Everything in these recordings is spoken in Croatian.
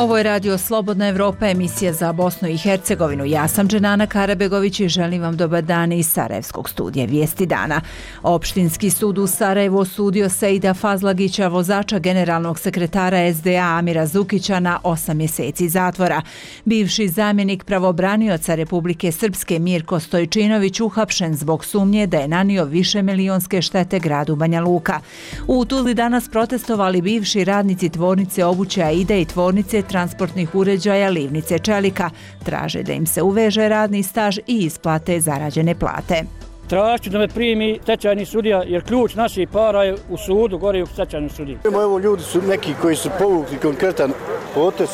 Ovo je Radio Slobodna Evropa, emisija za Bosnu i Hercegovinu. Ja sam Dženana Karabegović i želim vam dobar dan iz Sarajevskog studija Vijesti dana. Opštinski sud u Sarajevu osudio Seida Fazlagića, vozača generalnog sekretara SDA Amira Zukića, na 8 mjeseci zatvora. Bivši zamjenik pravobranioca Republike Srpske Mirko Stojčinović uhapšen zbog sumnje da je nanio višemilionske štete gradu Banja Luka. U Tuzli danas protestovali bivši radnici tvornice obuće Aida i tvornice transportnih uređaja Livnice Čelika. Traže da im se uveže radni staž i isplate zarađene plate. Tražću da me primi stečajni sudija, jer ključ naših para je u sudu, gore u stečajnom sudiji. Evo, ljudi su neki koji su povukli konkretan potez,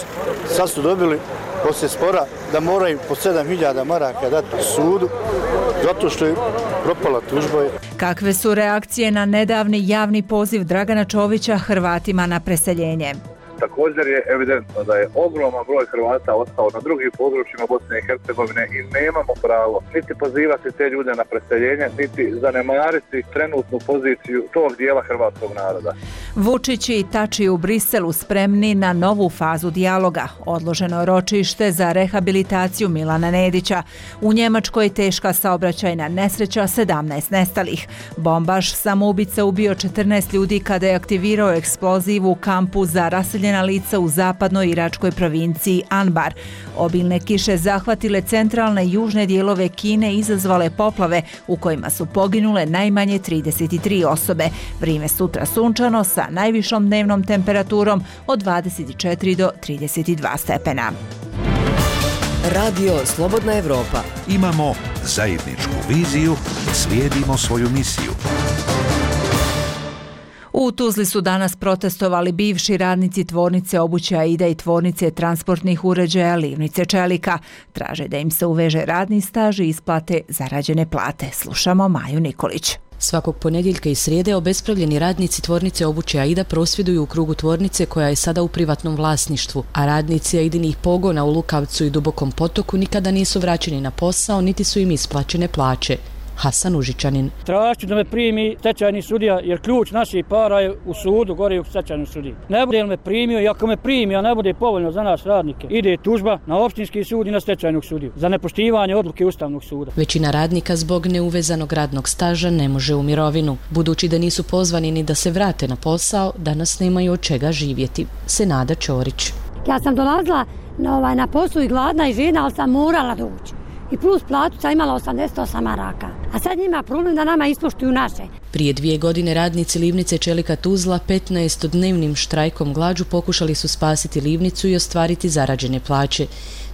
sad su dobili poslije spora da moraju po 7.000 maraka dati sudu, zato što je propala tužba. Kakve su reakcije na nedavni javni poziv Dragana Čovića Hrvatima na preseljenje? Također je evidentno da je ogroman broj Hrvata ostao na drugim područjima Bosne i Hercegovine i nemamo pravo niti pozivati te ljude na preseljenje, niti zanemariti trenutnu poziciju tog dijela hrvatskog naroda. Vučić i Tači u Briselu spremni na novu fazu dijaloga. Odloženo ročište za rehabilitaciju Milana Nedića. U Njemačkoj teška saobraćajna nesreća, 17 nestalih. Bombaš samoubica ubio 14 ljudi kada je aktivirao eksploziv u kampu za raseljena lica u zapadnoj iračkoj provinciji Anbar. Obilne kiše zahvatile centralne i južne dijelove Kine i izazvale poplave u kojima su poginule najmanje 33 osobe. Vrijeme sutra sunčano sa najvišom dnevnom temperaturom od 24 do 32 stepena. Radio Slobodna Evropa. Imamo zajedničku viziju, slijedimo svoju misiju. U Tuzli su danas protestovali bivši radnici tvornice obuće Aida i tvornice transportnih uređaja Livnice Čelika. Traže da im se uveže radni staž i isplate zarađene plate. Slušamo Maju Nikolić. Svakog ponedjeljka i srijede obespravljeni radnici tvornice obuće Aida prosvjeduju u krugu tvornice koja je sada u privatnom vlasništvu, a radnici Aidinih pogona u Lukavcu i Dubokom Potoku nikada nisu vraćeni na posao, niti su im isplaćene plaće. Hasan Užičanin. Tražću da me primi stečajni sudija, jer ključ naših para je u sudu, gore u stečajnom sudiji. Ne bude li me primio i ako me primi, a ne bude povoljno za nas radnike, ide tužba na opštinski sud i na stečajnog sudiju za nepoštivanje odluke Ustavnog suda. Većina radnika zbog neuvezanog radnog staža ne može u mirovinu. Budući da nisu pozvani ni da se vrate na posao, danas nemaju od čega živjeti. Senada Ćorić. Ja sam dolazila na poslu i gladna i žena, ali sam morala doći. I plus platu sam imala 88 maraka. A sad njima problem da nama ispoštuju naše. Prije 2 godine radnici Livnice Čelika Tuzla 15-dnevnim štrajkom glađu pokušali su spasiti Livnicu i ostvariti zarađene plaće.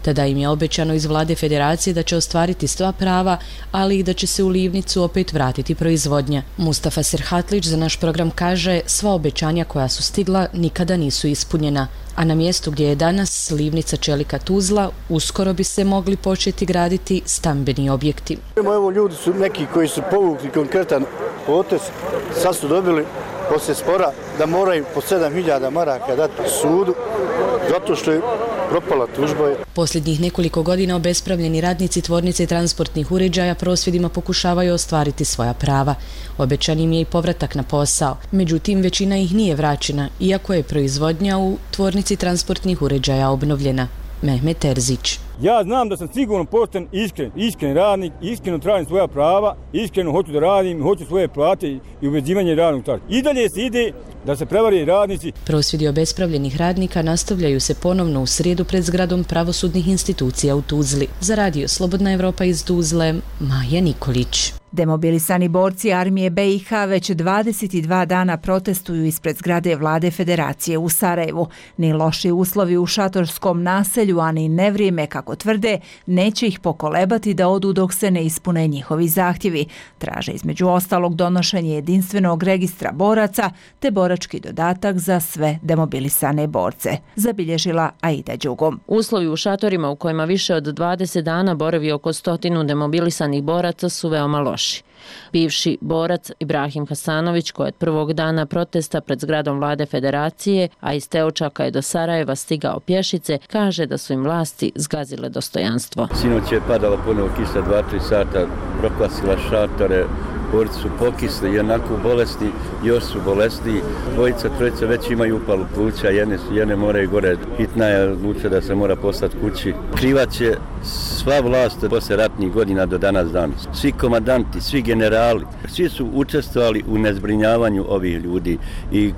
Tada im je obećano iz vlade federacije da će ostvariti sva prava, ali i da će se u Livnicu opet vratiti proizvodnja. Mustafa Serhatlić za naš program kaže, sva obećanja koja su stigla nikada nisu ispunjena. A na mjestu gdje je danas Livnica Čelika Tuzla uskoro bi se mogli početi graditi stambeni objekti. Evo, ljudi su neki koji su povukli konkretan potez, sad su dobili poslije spora da moraju po 7.000 maraka dati sudu, zato što je propala tužba. Posljednjih nekoliko godina obespravljeni radnici tvornice transportnih uređaja prosvjedima pokušavaju ostvariti svoja prava. Obećan im je i povratak na posao. Međutim, većina ih nije vraćena, iako je proizvodnja u tvornici transportnih uređaja obnovljena. Mehmet Terzić. Ja znam da sam sigurno pošten, iskren radnik, iskreno tražim svoja prava, iskreno hoću da radim, hoću svoje plate i uvezivanje radnog staža. I dalje se ide da se prevari radnici. Prosvjedi obespravljenih radnika nastavljaju se ponovno u srijedu pred zgradom pravosudnih institucija u Tuzli. Za Radio Slobodna Evropa iz Tuzle, Maja Nikolić. Demobilisani borci armije BiH već 22 dana protestuju ispred zgrade vlade Federacije u Sarajevu. Ni loši uslovi u šatorskom naselju, ani nevrijeme, kako tvrde, neće ih pokolebati da odu dok se ne ispune njihovi zahtjevi. Traže između ostalog donošenje jedinstvenog registra boraca te borački dodatak za sve demobilisane borce. Zabilježila Aida Đugom. Uslovi u šatorima u kojima više od 20 dana boravi oko 100 demobilisanih boraca su veoma loši. Bivši borac Ibrahim Hasanović, koji od prvog dana protesta pred zgradom vlade Federacije, a iz Teočaka je do Sarajeva stigao pješice, kaže da su im vlasti zgazile dostojanstvo. Sinoć je padala ponovo kiša 2-3 sata, prokvasila šatore, borci su pokisli i onako bolesni, još su bolesni. Dvojica, trojica već imaju upalu pluća, jedne moraju gore. Hitna je odlučila da se mora poslati kući. Krivac je sva vlast posle ratnih godina do danas danas. Svi komandanti, svi generali, svi su učestvovali u nezbrinjavanju ovih ljudi i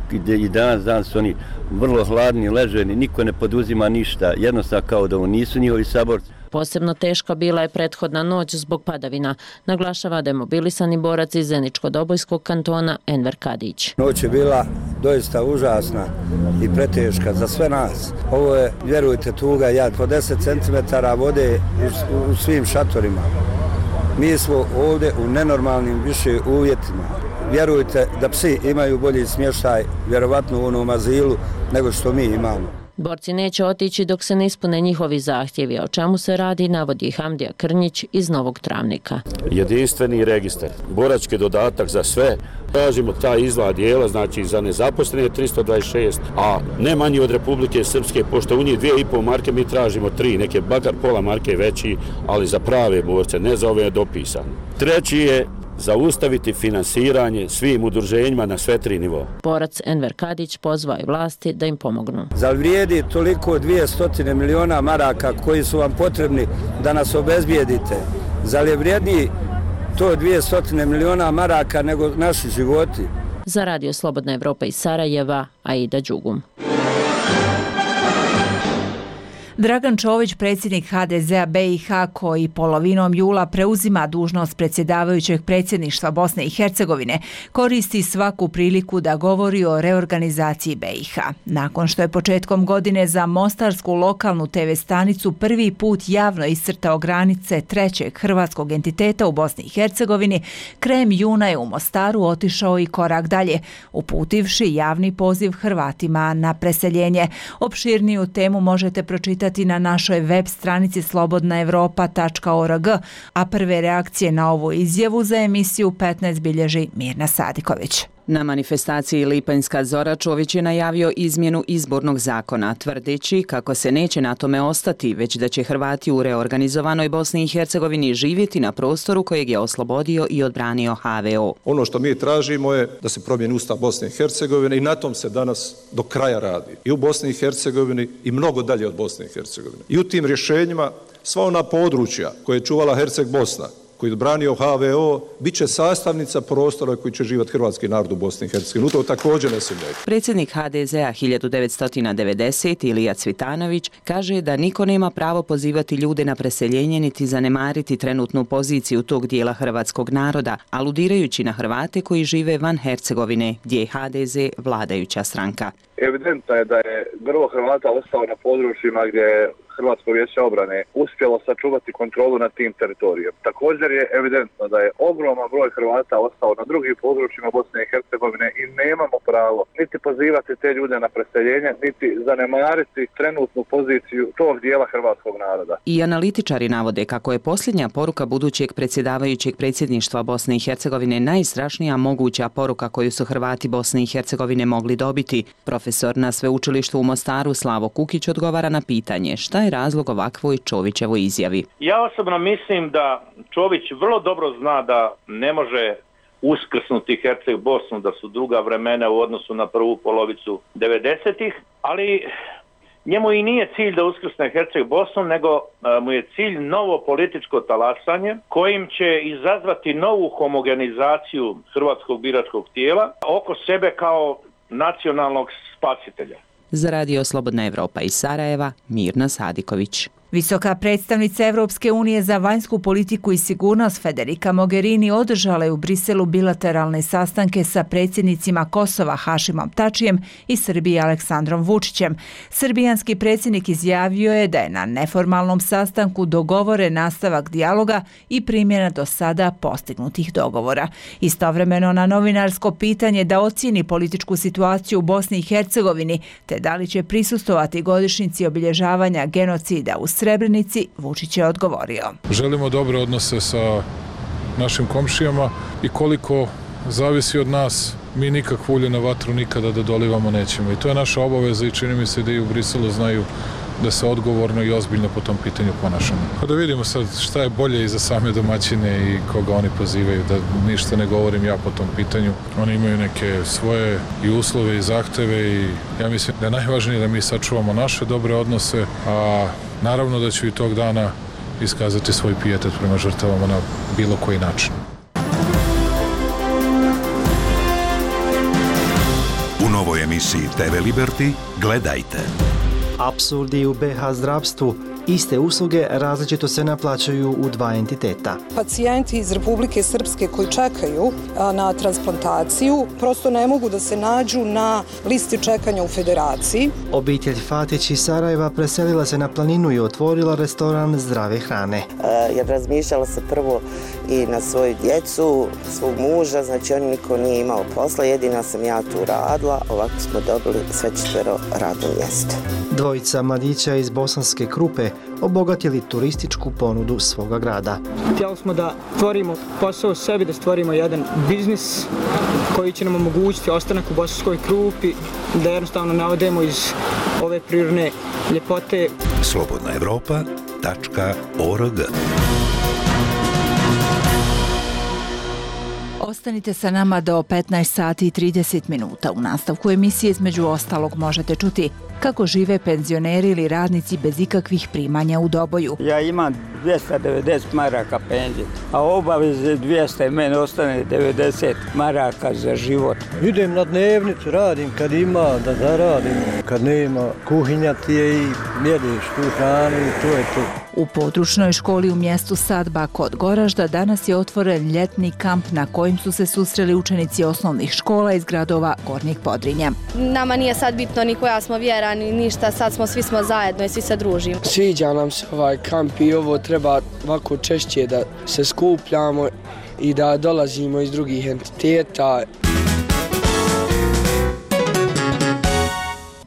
danas su oni vrlo hladni, leženi, niko ne poduzima ništa, jednostavno kao da ovo nisu njihovi saborci. Posebno teška bila je prethodna noć zbog padavina, naglašava demobilisani borac iz Zeničko-Dobojskog kantona Enver Kadić. Noć je bila doista užasna i preteška za sve nas. Ovo je, vjerujte, tuga jad. Po 10 cm vode u svim šatorima. Mi smo ovdje u nenormalnim više uvjetima. Vjerujte da psi imaju bolji smještaj, vjerovatno u onom azilu, nego što mi imamo. Borci neće otići dok se ne ispune njihovi zahtjevi, o čemu se radi, navodi Hamdija Krnjić iz Novog Travnika. Jedinstveni registar, borački dodatak za sve. Tražimo taj izgled dijela, znači za nezaposlene 326, a ne manji od Republike Srpske, pošto u njih 2,5 marke mi tražimo 3, neke bakar pola marke veći, ali za prave borce, ne za ove dopisane. Treći je zaustaviti finansiranje svim udruženjima na sve 3 nivoa. Borac Enver Kadić pozvao je vlasti da im pomognu. Zar vrijedi toliko 200 miliona maraka koji su vam potrebni da nas obezbijedite? Zar je vrijedniji to 200 miliona maraka nego naši životi? Za Radio Slobodna Evropa iz Sarajeva, Aida Đugum. Dragan Čović, predsjednik HDZ-a BiH, koji polovinom jula preuzima dužnost predsjedavajućeg predsjedništva Bosne i Hercegovine, koristi svaku priliku da govori o reorganizaciji BiH. Nakon što je početkom godine za mostarsku lokalnu TV stanicu prvi put javno iscrtao granice trećeg hrvatskog entiteta u Bosni i Hercegovini, krajem juna je u Mostaru otišao i korak dalje, uputivši javni poziv Hrvatima na preseljenje. Opširniju temu možete pročitati na našoj web stranici slobodnaevropa.org, a prve reakcije na ovu izjavu za emisiju 15 bilježi Mirna Sadiković. Na manifestaciji Lipanjska Zora Čović je najavio izmjenu izbornog zakona, tvrdeći kako se neće na tome ostati, već da će Hrvati u reorganizovanoj Bosni i Hercegovini živjeti na prostoru kojeg je oslobodio i odbranio HVO. Ono što mi tražimo je da se promijeni Ustav Bosne i Hercegovine i na tom se danas do kraja radi. I u Bosni i Hercegovini i mnogo dalje od Bosne i Hercegovine. I u tim rješenjima sva ona područja koje je čuvala Herceg Bosna, koji je odbranio HVO, bit će sastavnica prostora koji će živjeti hrvatski narod u Bosni i Hercegovini. U to također ne sumnjaju. Predsjednik HDZ-a 1990 Ilija Cvitanović kaže da niko nema pravo pozivati ljude na preseljenje niti zanemariti trenutnu poziciju tog dijela hrvatskog naroda, aludirajući na Hrvate koji žive van Hercegovine, gdje je HDZ vladajuća stranka. Evidentno je da je grlo Hrvata ostao na područjima gdje je Hrvatsko vijeće obrane uspjelo sačuvati kontrolu nad tim teritorijem. Također je evidentno da je ogroman broj Hrvata ostao na drugim područjima Bosne i Hercegovine i nemamo pravo niti pozivati te ljude na preseljenje, niti zanemariti trenutnu poziciju tog dijela hrvatskog naroda. I analitičari navode kako je posljednja poruka budućeg predsjedavajućeg predsjedništva Bosne i Hercegovine najstrašnija moguća poruka koju su Hrvati Bosne i Hercegovine mogli dobiti. Profesor na sveučilištu u Mostaru Slavo Kukić odgovara na pitanje šta je razlog ovakvoj Čovićevoj izjavi. Ja osobno mislim da Čović vrlo dobro zna da ne može uskrsnuti Herceg Bosnu, da su druga vremena u odnosu na prvu polovicu 90-ih, ali njemu i nije cilj da uskrsne Herceg Bosnu, nego mu je cilj novo političko talasanje kojim će izazvati novu homogenizaciju hrvatskog biračkog tijela oko sebe kao nacionalnog spasitelja. Za Radio Slobodna Evropa iz Sarajeva, Mirna Sadiković. Visoka predstavnica Evropske unije za vanjsku politiku i sigurnost Federica Mogherini održala je u Briselu bilateralne sastanke sa predsjednicima Kosova Hašimom Tačijem i Srbije Aleksandrom Vučićem. Srbijanski predsjednik izjavio je da je na neformalnom sastanku dogovoren nastavak dijaloga i primjena do sada postignutih dogovora. Istovremeno na novinarsko pitanje da ocijeni političku situaciju u Bosni i Hercegovini te da li će prisustvovati godišnjici obilježavanja genocida u Srebrenici, Vučić je odgovorio. Želimo dobre odnose sa našim komšijama i koliko zavisi od nas, mi nikakvu ulje na vatru nikada da dolivamo nećemo. I to je naša obaveza i čini mi se da i u Briselu znaju da se odgovorno i ozbiljno po tom pitanju ponašamo. Pa da vidimo sad šta je bolje i za same domaćine i koga oni pozivaju, da ništa ne govorim ja po tom pitanju. Oni imaju neke svoje i uslove i zahteve i ja mislim da je najvažnije da mi sačuvamo naše dobre odnose, a naravno da ću i tog dana iskazati svoj pijetet prema žrtvama na bilo koji način. U novoj emisiji TV Liberty gledajte. Apsurdi u BH zdravstvu. Iste usluge različito se naplaćuju u dva entiteta. Pacijenti iz Republike Srpske koji čekaju na transplantaciju prosto ne mogu da se nađu na listi čekanja u Federaciji. Obitelj Fatić iz Sarajeva preselila se na planinu i otvorila restoran zdrave hrane. Jer razmišljala se prvo i na svoju djecu, svog muža, znači on niko nije imao posla, jedina sam ja tu radila, ovako smo dobili sve 4 radno mjesto. Dvojica mladića iz Bosanske Krupe obogatili turističku ponudu svoga grada. Htjeli smo da stvorimo posao sebi, da stvorimo jedan biznis koji će nam omogućiti ostanak u Bosanskoj Krupi, da jednostavno ne odemo iz ove prirodne ljepote. slobodnaevropa.org. Ostanite sa nama do 15 sati i 30 minuta. U nastavku emisije između ostalog možete čuti kako žive penzioneri ili radnici bez ikakvih primanja u Doboju. Ja imam 290 maraka penzije, a obaveze 200 i meni ostane 90 maraka za život. Idem na dnevnicu, radim kad ima da zaradim, kad nema kuhinja ti je i jedeš tu hranu i to je to. U područnoj školi u mjestu Sadba kod Goražda danas je otvoren ljetni kamp na kojim su se susreli učenici osnovnih škola iz gradova Gornjeg Podrinja. Nama nije sad bitno ni koja smo vjera ni ništa, sad svi smo zajedno i svi se družimo. Sviđa nam se ovaj kamp i ovo treba ovako češće da se skupljamo i da dolazimo iz drugih entiteta.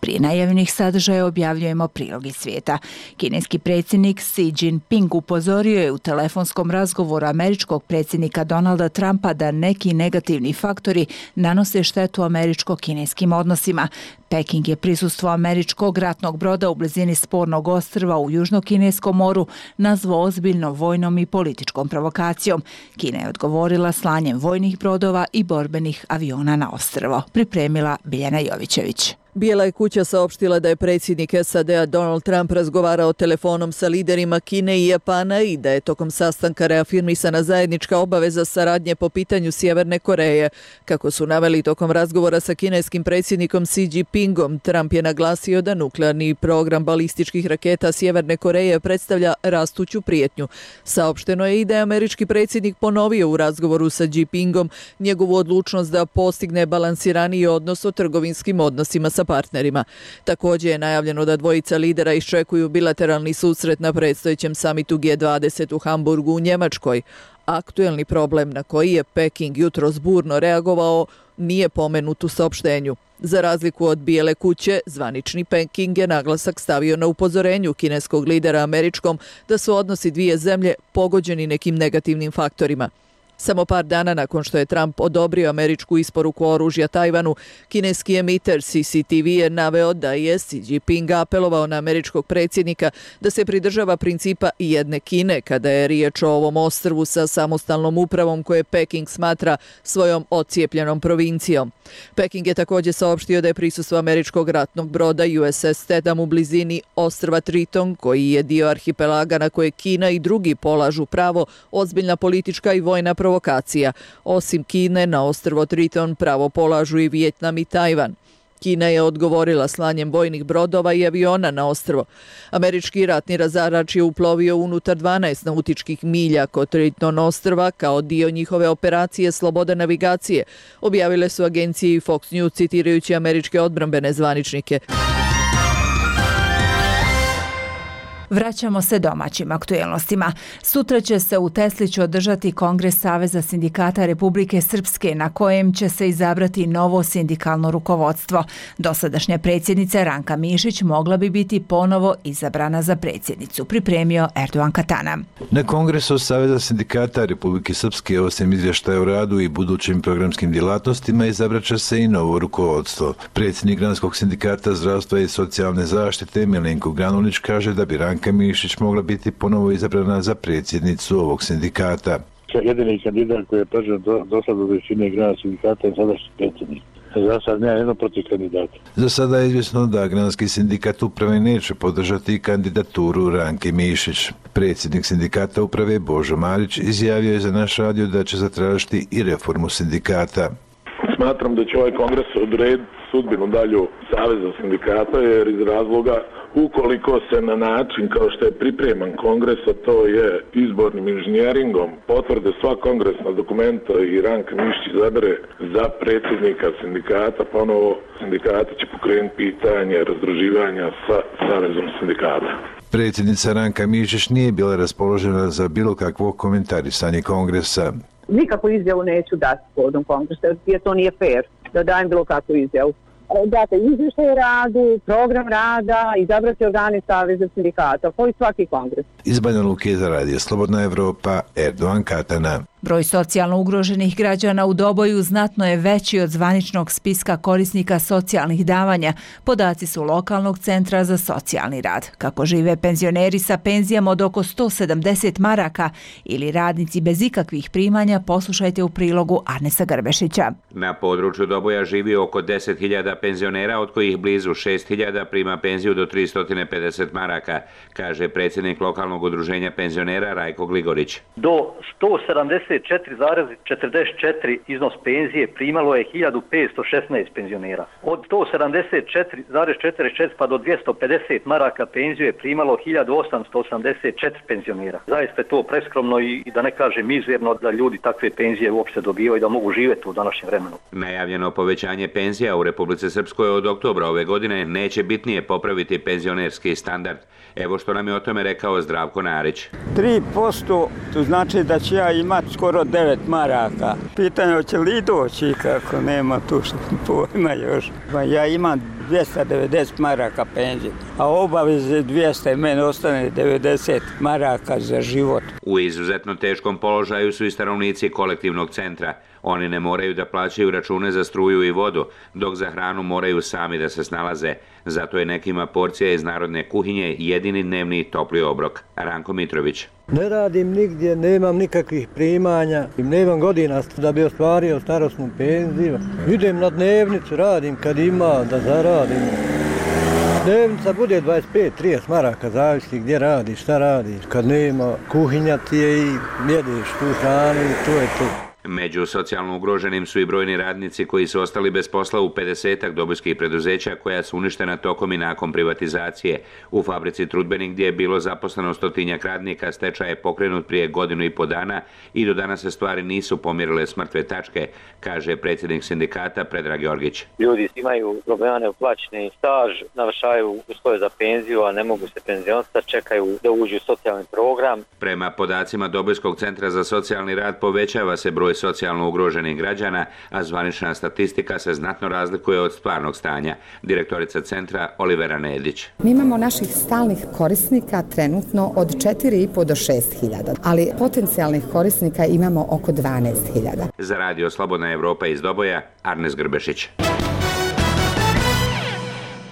Prije najavljenih sadržaja objavljujemo prilog iz svijeta. Kineski predsjednik Xi Jinping upozorio je u telefonskom razgovoru američkog predsjednika Donalda Trumpa da neki negativni faktori nanose štetu američko-kineskim odnosima. Peking je prisustvo američkog ratnog broda u blizini spornog ostrva u Južno-Kineskom moru nazvao ozbiljnom vojnom i političkom provokacijom. Kina je odgovorila slanjem vojnih brodova i borbenih aviona na ostrvo. Pripremila Biljana Jovićević. Bijela je kuća saopštila da je predsjednik SAD-a Donald Trump razgovarao telefonom sa liderima Kine i Japana i da je tokom sastanka reafirmisana zajednička obaveza saradnje po pitanju Sjeverne Koreje. Kako su naveli tokom razgovora sa kineskim predsjednikom Xi Jinpingom, Trump je naglasio da nuklearni program balističkih raketa Sjeverne Koreje predstavlja rastuću prijetnju. Saopšteno je i da je američki predsjednik ponovio u razgovoru sa Jinpingom njegovu odlučnost da postigne balansiraniji odnos o trgovinskim odnosima sa partnerima. Također je najavljeno da dvojica lidera iščekuju bilateralni susret na predstojećem samitu G20 u Hamburgu u Njemačkoj. Aktuelni problem na koji je Peking jutros burno reagovao nije pomenut u saopštenju. Za razliku od Bijele kuće, zvanični Peking je naglasak stavio na upozorenju kineskog lidera američkom da su odnosi dvije zemlje pogođeni nekim negativnim faktorima. Samo par dana nakon što je Trump odobrio američku isporuku oružja Tajvanu, kineski emiter CCTV je naveo da je Xi Jinping apelovao na američkog predsjednika da se pridržava principa jedne Kine kada je riječ o ovom ostrvu sa samostalnom upravom koje Peking smatra svojom ocijepljenom provincijom. Peking je također saopštio da je prisustvo američkog ratnog broda USS Tetam u blizini ostrva Triton, koji je dio arhipelaga na koje Kina i drugi polažu pravo, ozbiljna politička i vojna provokacija. Osim Kine, na ostrvo Triton pravo polažu i Vijetnam i Tajvan. Kina je odgovorila slanjem vojnih brodova i aviona na ostrvo. Američki ratni razarač je uplovio unutar 12 nautičkih milja kod Triton ostrva kao dio njihove operacije Sloboda navigacije, objavile su agencije i Fox News citirajući američke odbrambene zvaničnike. Vraćamo se domaćim aktuelnostima. Sutra će se u Tesliću održati Kongres Saveza sindikata Republike Srpske na kojem će se izabrati novo sindikalno rukovodstvo. Dosadašnja predsjednica Ranka Mišić mogla bi biti ponovo izabrana za predsjednicu, pripremio Erdogan Katana. Na Kongresu Saveza sindikata Republike Srpske osim izvještaja o radu i budućim programskim djelatnostima izabraće se i novo rukovodstvo. Predsjednik Granskog sindikata zdravstva i socijalne zaštite Milenko Granulić kaže da bi Ranka Mišić mogla biti ponovo izabrana za predsjednicu ovog sindikata. Jedini kandidat koji je predložen do sada od većine Granskog sindikata je sadašnji predsjednik. Za sad nema jedno protiv kandidata. Za sada je izvjesno da Granski sindikat uprave neće podržati kandidaturu Ranke Mišić. Predsjednik sindikata uprave Božo Marić izjavio je za naš radio da će zatražiti i reformu sindikata. Smatram da će ovaj kongres odrediti sudbinu dalju Saveza sindikata jer iz razloga ukoliko se na način kao što je pripreman kongres, a to je izbornim inženjeringom, potvrde sva kongresna dokumenta i Ranka Mišić izabere za predsjednika sindikata, ponovo sindikati će pokrenuti pitanje razdruživanja sa Savezom sindikata. Predsjednica Ranka Mišić nije bila raspoložena za bilo kakvo komentarisanje kongresa. Nikakvu izjavu neću dati povodom kongresa, jer to nije fair da dajem bilo kakvu izjavu. Date izvještaj radu, program rada, izabrati organi Saveza sindikata, kao i svaki kongres. Iz Banja Luke za radio Slobodna Evropa, Erdogan Katana. Broj socijalno ugroženih građana u Doboju znatno je veći od zvaničnog spiska korisnika socijalnih davanja. Podaci su lokalnog centra za socijalni rad. Kako žive penzioneri sa penzijama od oko 170 maraka ili radnici bez ikakvih primanja, poslušajte u prilogu Arnesa Grbešića. Na području Doboja živi oko 10.000 penzionera, od kojih blizu 6.000 prima penziju do 350 maraka, kaže predsjednik lokalnog udruženja penzionera Rajko Gligorić. Do 174,44 iznos penzije primalo je 1516 penzionera. Od 174,44 pa do 250 maraka penziju je primalo 1884 penzionera. Zaista je to preskromno i da ne kažem mizerno da ljudi takve penzije uopšte dobivaju i da mogu živjeti u današnjem vremenu. Najavljeno povećanje penzija u Republici Srpskoj od oktobra ove godine neće bitnije popraviti penzionerski standard. Evo što nam je o tome rekao Zdravko Narić. 3% to znači da će ja imati skoro 9 maraka. Pitanje hoće li doći kako nema tu što pojma još. Ja imam 290 maraka penzije, a obaveze 200 i meni ostane 90 maraka za život. U izuzetno teškom položaju su i stanovnici kolektivnog centra. Oni ne moraju da plaćaju račune za struju i vodu, dok za hranu moraju sami da se snalaze. Zato je nekima porcija iz narodne kuhinje jedini dnevni topli obrok. Ranko Mitrović. Ne radim nigdje, nemam nikakvih primanja, nemam godina da bi ostvario starosnu penziju. Idem na dnevnicu, radim kad ima da zaradim. Dnevnica bude 25-30 maraka, zavisi gdje radiš, šta radiš. Kad nema, kuhinja ti je i jedeš tu hranu i to je to. Među socijalno ugroženim su i brojni radnici koji su ostali bez posla u 50-ak dobojskih preduzeća koja su uništena tokom i nakon privatizacije. U fabrici Trudbenik gdje je bilo zaposleno 100-tinjak radnika, stečaj je pokrenut prije 1,5 godina i do danas se stvari nisu pomjerile s mrtve tačke, kaže predsjednik sindikata Predrag Jorgić. Ljudi imaju problema neuplaćeni staž, navršavaju uslove za penziju, a ne mogu se penzionisati, čekaju da uđu u socijalni program. Prema podacima Dobojskog centra za socijalni rad povećava se broj socijalno ugroženih građana, a zvanična statistika se znatno razlikuje od stvarnog stanja. Direktorica centra Olivera Nedić. Mi imamo naših stalnih korisnika trenutno od 4,5 do 6.000, ali potencijalnih korisnika imamo oko 12.000. Za radio Slobodna Evropa iz Doboja, Arnes Grbešić.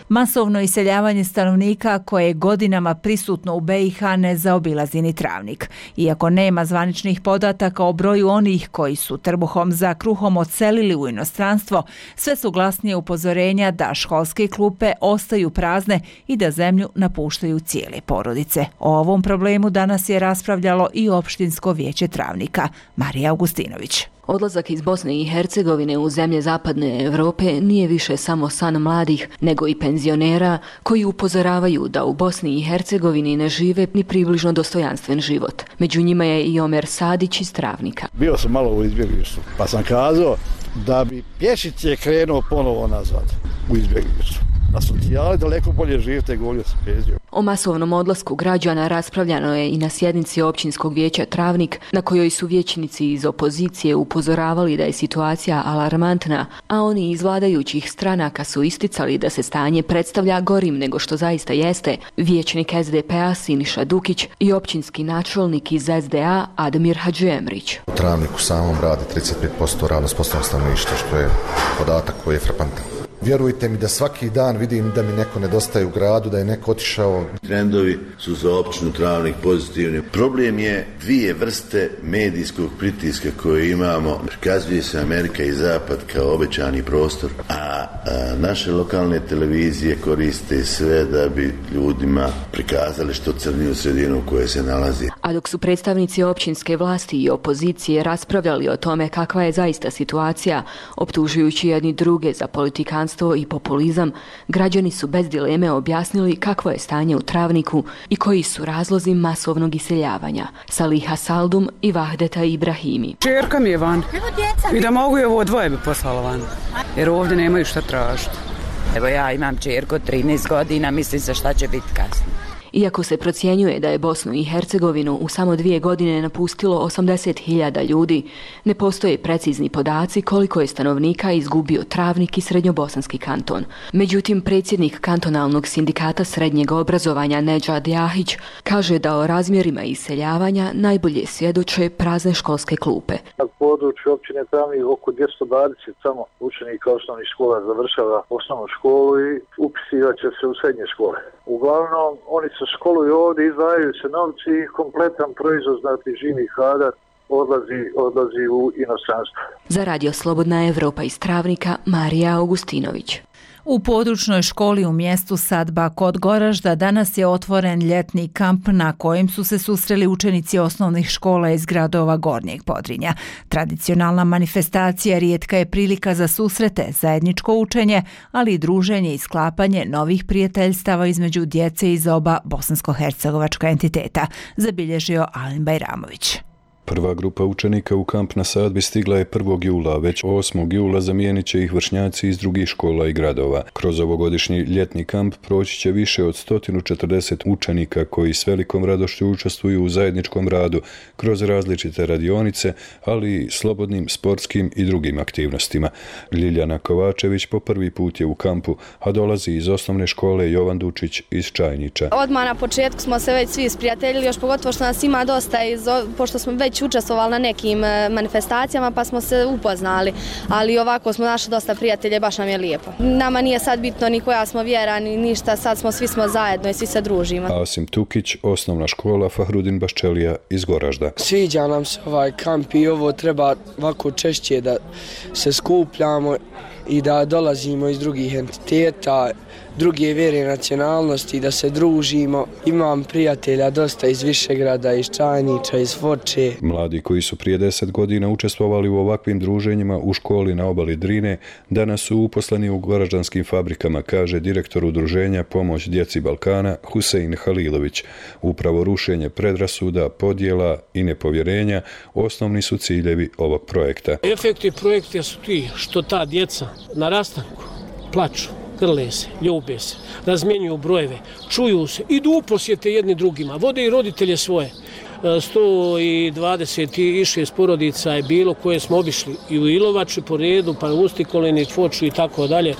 Masovno iseljavanje stanovnika koje je godinama prisutno u BiH ne zaobilazi ni Travnik. Iako nema zvaničnih podataka o broju onih koji su trbuhom za kruhom odselili u inostranstvo, sve su glasnije upozorenja da školske klupe ostaju prazne i da zemlju napuštaju cijele porodice. O ovom problemu danas je raspravljalo i opštinsko vijeće Travnika. Marija Augustinović. Odlazak iz Bosne i Hercegovine u zemlje zapadne Evrope nije više samo san mladih, nego i penzionera koji upozoravaju da u Bosni i Hercegovini ne žive ni približno dostojanstven život. Među njima je i Omer Sadić iz Travnika. Bio sam malo u izbjeglištvu, pa sam kazao da bi pješice krenuo ponovo nazad u izbjeglištvu. na socijali daleko bolje živite nego ovdje s penzijom. O masovnom odlasku građana raspravljano je i na sjednici općinskog vijeća Travnik, na kojoj su vijećnici iz opozicije upozoravali da je situacija alarmantna, a oni iz vladajućih stranaka su isticali da se stanje predstavlja gorim nego što zaista jeste. Vijećnik SDP-a Siniša Dukić i općinski načelnik iz SDA Admir Hadžiemrić. U Travniku samom radi 35% radno sposobnog stanovništva, što je podatak koji je frapantan. Vjerujte mi da svaki dan vidim da mi neko nedostaje u gradu, da je neko otišao. Trendovi su za općinu Travnik pozitivni. Problem je dvije vrste medijskog pritiska koje imamo. Prikazuje se Amerika i Zapad kao obećani prostor, a naše lokalne televizije koriste sve da bi ljudima prikazali što crniju sredinu u kojoj se nalazi. A dok su predstavnici općinske vlasti i opozicije raspravljali o tome kakva je zaista situacija, optužujući jedni druge za politikanstvo i populizam, građani su bez dileme objasnili kakvo je stanje u Travniku i koji su razlozi masovnog iseljavanja. Saliha Saldum i Vahdeta Ibrahimi. Čerka mi je van i da mogu je ovo dvoje bi poslala van, jer ovdje nemaju šta tražiti. Evo ja imam čerku 13 godina, mislim se šta će biti kasnije. Iako se procjenjuje da je Bosnu i Hercegovinu u samo 2 godine napustilo 80.000 ljudi, ne postoje precizni podaci koliko je stanovnika izgubio Travnik i Srednjobosanski kanton. Međutim, predsjednik kantonalnog sindikata srednjeg obrazovanja Nedžad Jahić kaže da o razmjerima iseljavanja najbolje svjedoče prazne školske klupe. Na području općine Travnik oko 220 samo učenika osnovnih škola završava osnovnu školu i upisivat će se u srednje škole. Uglavnom, oni se školuju ovdje, izdvajaju se novci i kompletan proizvod, znati živi kadar, odlazi u inostranstvo. Za Radio Slobodna Evropa iz Travnika, Marija Augustinović. U područnoj školi u mjestu Sadba kod Goražda danas je otvoren ljetni kamp na kojem su se susreli učenici osnovnih škola iz gradova Gornjeg Podrinja. Tradicionalna manifestacija rijetka je prilika za susrete, zajedničko učenje, ali i druženje i sklapanje novih prijateljstava između djece iz oba bosansko-hercegovačka entiteta, zabilježio Alen Bajramović. Prva grupa učenika u kamp na Sadbi stigla je 1. jula, već 8. jula zamijenit će ih vršnjaci iz drugih škola i gradova. Kroz ovogodišnji ljetni kamp proći će više od 140 učenika koji s velikom radošću učestvuju u zajedničkom radu kroz različite radionice, ali i slobodnim, sportskim i drugim aktivnostima. Ljiljana Kovačević po prvi put je u kampu, a dolazi iz osnovne škole Jovan Dučić iz Čajnića. Odmah na početku smo se već svi sprijateljili, još pogotovo što nas ima dosta, pošto smo već učestvovali na nekim manifestacijama pa smo se upoznali, ali ovako smo našli dosta prijatelja i baš nam je lijepo. Nama nije sad bitno ni koja smo vjera ni ništa, sad svi smo zajedno i svi se družimo. Asim Tukić, osnovna škola Fahrudin Baščelija iz Goražda. Sviđa nam se ovaj kamp i ovo treba ovako češće da se skupljamo i da dolazimo iz drugih entiteta, druge vjere i nacionalnosti, da se družimo. Imam prijatelja dosta iz Višegrada, iz Čajnića, iz Foče. Mladi koji su prije 10 godina učestvovali u ovakvim druženjima u školi na obali Drine, danas su uposleni u goraždanskim fabrikama, kaže direktor udruženja Pomoć djeci Balkana Husein Halilović. Upravo rušenje predrasuda, podjela i nepovjerenja osnovni su ciljevi ovog projekta. Efekti projekta su ti što ta djeca na rastanku plaču, grle se, ljube se, razmjenjuju brojeve, čuju se, idu u posjete jedni drugima, vode i roditelje svoje. 126 porodica je bilo koje smo obišli i u Ilovači po redu, pa u Ustikolini, Foču i tako dalje.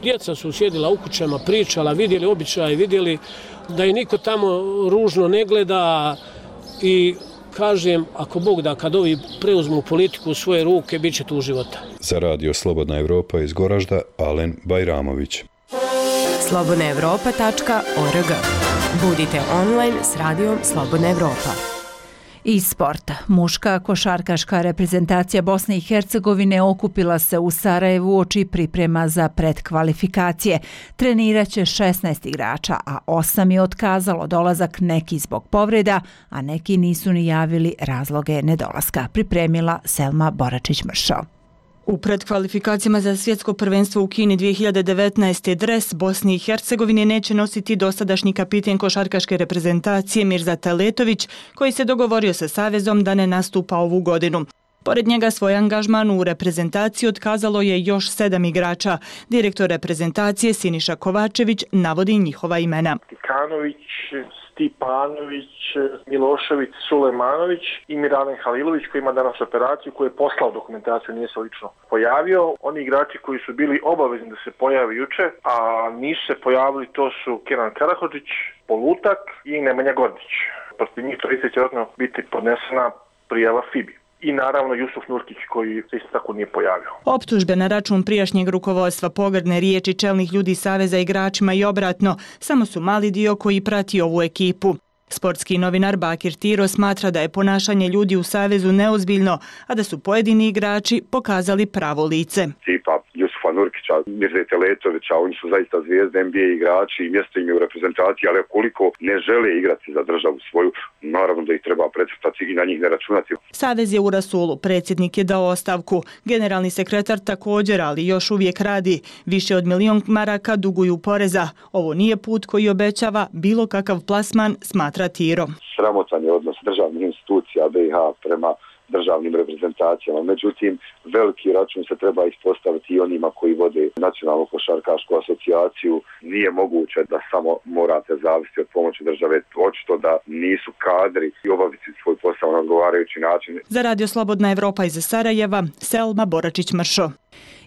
Djeca su sjedila u kućama, pričala, vidjeli običaje, vidjeli da je niko tamo ružno ne gleda i kažem, ako Bog da, kad ovi preuzmu politiku u svoje ruke, bit će tu života. Za Radio Slobodna Evropa iz Goražda, Alen Bajramović. slobodnaevropa.org. Budite online s Radijom Slobodna Evropa. Iz sporta. Muška košarkaška reprezentacija Bosne i Hercegovine okupila se u Sarajevu uoči priprema za predkvalifikacije. Treniraće 16 igrača, a 8 je otkazalo dolazak, neki zbog povreda, a neki nisu ni javili razloge nedolaska. Pripremila Selma Boračić-Mršo. U predkvalifikacijama za svjetsko prvenstvo u Kini 2019. dres Bosni i Hercegovine neće nositi dosadašnji kapiten košarkaške reprezentacije Mirza Teletović, koji se dogovorio sa savezom da ne nastupa ovu godinu. Pored njega svoj angažman u reprezentaciji otkazalo je još 7 igrača. Direktor reprezentacije Siniša Kovačević navodi njihova imena. Tikanović, Stipanović, Milošević, Sulejmanović i Miralen Halilović koji ima danas operaciju, koji je poslao dokumentaciju, nije se lično pojavio. Oni igrači koji su bili obavezni da se pojave juče, a nisu se pojavili, to su Kenan Karahodžić, Polutak i Nemanja Gordić. Protiv njih 30 će vjerojatno biti podnesena prijava FIBI. I naravno Jusuf Nurkić koji se isto tako nije pojavio. Optužbe na račun prijašnjeg rukovodstva, pogrdne riječi čelnih ljudi Saveza igračima i obratno, samo su mali dio koji prati ovu ekipu. Sportski novinar Bakir Tiro smatra da je ponašanje ljudi u Savezu neozbiljno, a da su pojedini igrači pokazali pravo lice. Tipa Jusufa Nurkića, Mirzete Letovića, oni su zaista zvijezde NBA igrači i mjesto im je u reprezentaciji, ali koliko ne žele igrati za državu svoju, naravno da ih treba precrtati i na njih ne računati. Savez je u rasulu, predsjednik je dao ostavku. Generalni sekretar također, ali još uvijek radi. Više od 1 milion maraka duguju poreza. Ovo nije put koji obećava bilo kakav plasman, smatra Tiro. Sramotan je odnos državnih institucija BiH prema državnim reprezentacijama. Međutim, veliki račun se treba ispostaviti i onima koji vode Nacionalnu košarkašku asocijaciju. Nije moguće da samo morate zavisiti od pomoći države. Očito da nisu kadri i obaviti svoj posao na odgovarajući način. Za Radio Slobodna Evropa iz Sarajeva, Selma Boračić-Mršo.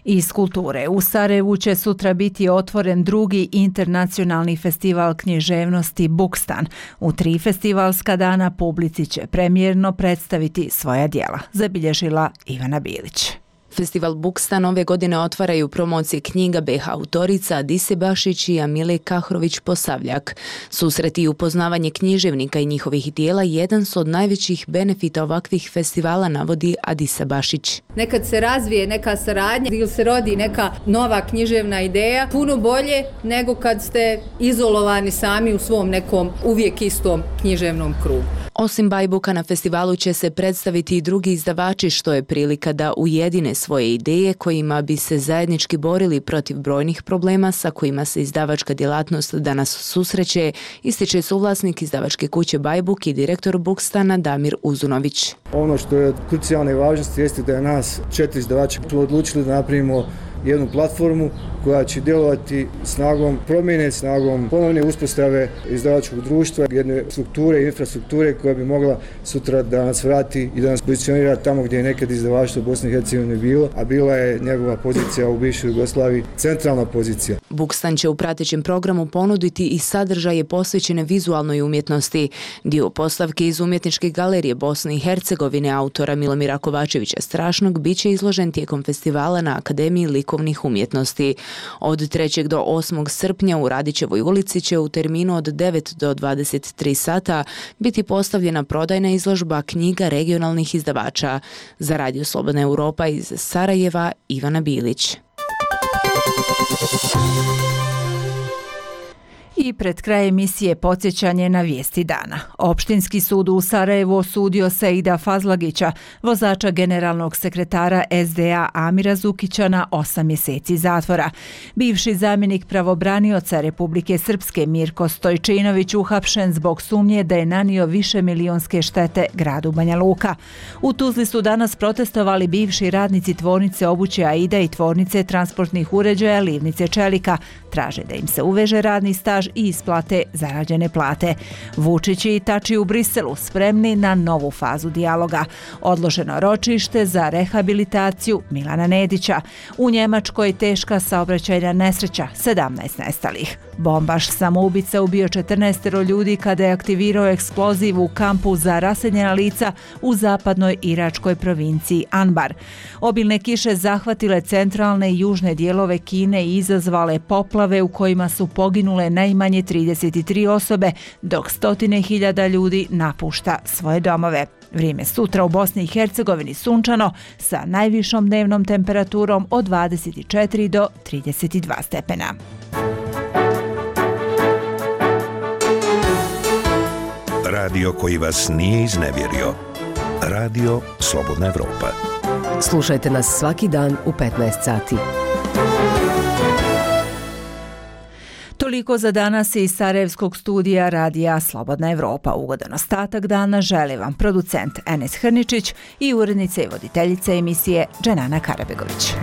Iz kulture. U Sarajevu će sutra biti otvoren drugi internacionalni festival književnosti Bukstan. U 3 festivalska dana publici će premijerno predstaviti svoja djela, zabilježila Ivana Bilić. Festival Bukstan ove godine otvaraju promocije knjiga BiH autorica Adise Bašić i Amile Kahrović-Posavljak. Susreti i upoznavanje književnika i njihovih dijela jedan su od najvećih benefita ovakvih festivala, navodi Adisa Bašić. Nekad se razvije neka saradnja ili se rodi neka nova književna ideja, puno bolje nego kad ste izolovani sami u svom nekom uvijek istom književnom krugu. Osim Bajbuka na festivalu će se predstaviti i drugi izdavači, što je prilika da ujedine svoje ideje kojima bi se zajednički borili protiv brojnih problema sa kojima se izdavačka djelatnost danas susreće, ističe suvlasnik izdavačke kuće Bajbuk i direktor Bukstana Damir Uzunović. Ono što je od krucijalne važnosti jeste da je nas 4 izdavača odlučili da napravimo jednu platformu koja će djelovati snagom promjene, snagom ponovne uspostave izdavačkog društva, jedne strukture i infrastrukture koja bi mogla sutra da nas vrati i da nas pozicionira tamo gdje je nekad izdavaštvo Bosne i Hercegovine bilo, a bila je njegova pozicija u bivšoj Jugoslaviji centralna pozicija. Bukstan će u pratećem programu ponuditi i sadržaje posvećene vizualnoj umjetnosti. Dio postavke iz Umjetničke galerije Bosne i Hercegovine autora Milomira Kovačevića Strašnog biće izložen tijekom festivala na Akademiji likovnih umjetnosti. Od 3. do 8. srpnja u Radićevoj ulici će u terminu od 9 do 23 sata biti postavljena prodajna izložba knjiga regionalnih izdavača. Za Radio Slobodna Europa iz Sarajeva, Ivana Bilić. I pred kraj emisije podsjećanje na vijesti dana. Opštinski sud u Sarajevu osudio Seida Fazlagića, vozača generalnog sekretara SDA Amira Zukića, na 8 mjeseci zatvora. Bivši zamjenik pravobranioca Republike Srpske Mirko Stojčinović uhapšen zbog sumnje da je nanio višemilionske štete gradu Banja Luka. U Tuzli su danas protestovali bivši radnici tvornice obuće Aida i tvornice transportnih uređaja Livnice Čelika. Traže da im se uveže radni staž i isplate zarađene plate. Vučić i Tači u Briselu spremni na novu fazu dijaloga. Odloženo ročište za rehabilitaciju Milana Nedića. U Njemačkoj teška saobraćajna nesreća, 17 nestalih. Bombaš samoubica ubio 14 ljudi kada je aktivirao eksploziv u kampu za raseljena lica u zapadnoj iračkoj provinciji Anbar. Obilne kiše zahvatile centralne i južne dijelove Kine i izazvale poplave u kojima su poginule najmanje 33 osobe, dok 100.000 ljudi napušta svoje domove. Vrijeme sutra u Bosni i Hercegovini sunčano sa najvišom dnevnom temperaturom od 24 do 32 stepena. Radio koji vas nije iznevjerio. Radio Slobodna Evropa. Slušajte nas svaki dan u 15 sati. Toliko za danas iz Sarajevskog studija Radija Slobodna Evropa. Ugodan ostatak dana želi vam producent Enes Hrničić i urednica i voditeljica emisije Dženana Karabegović.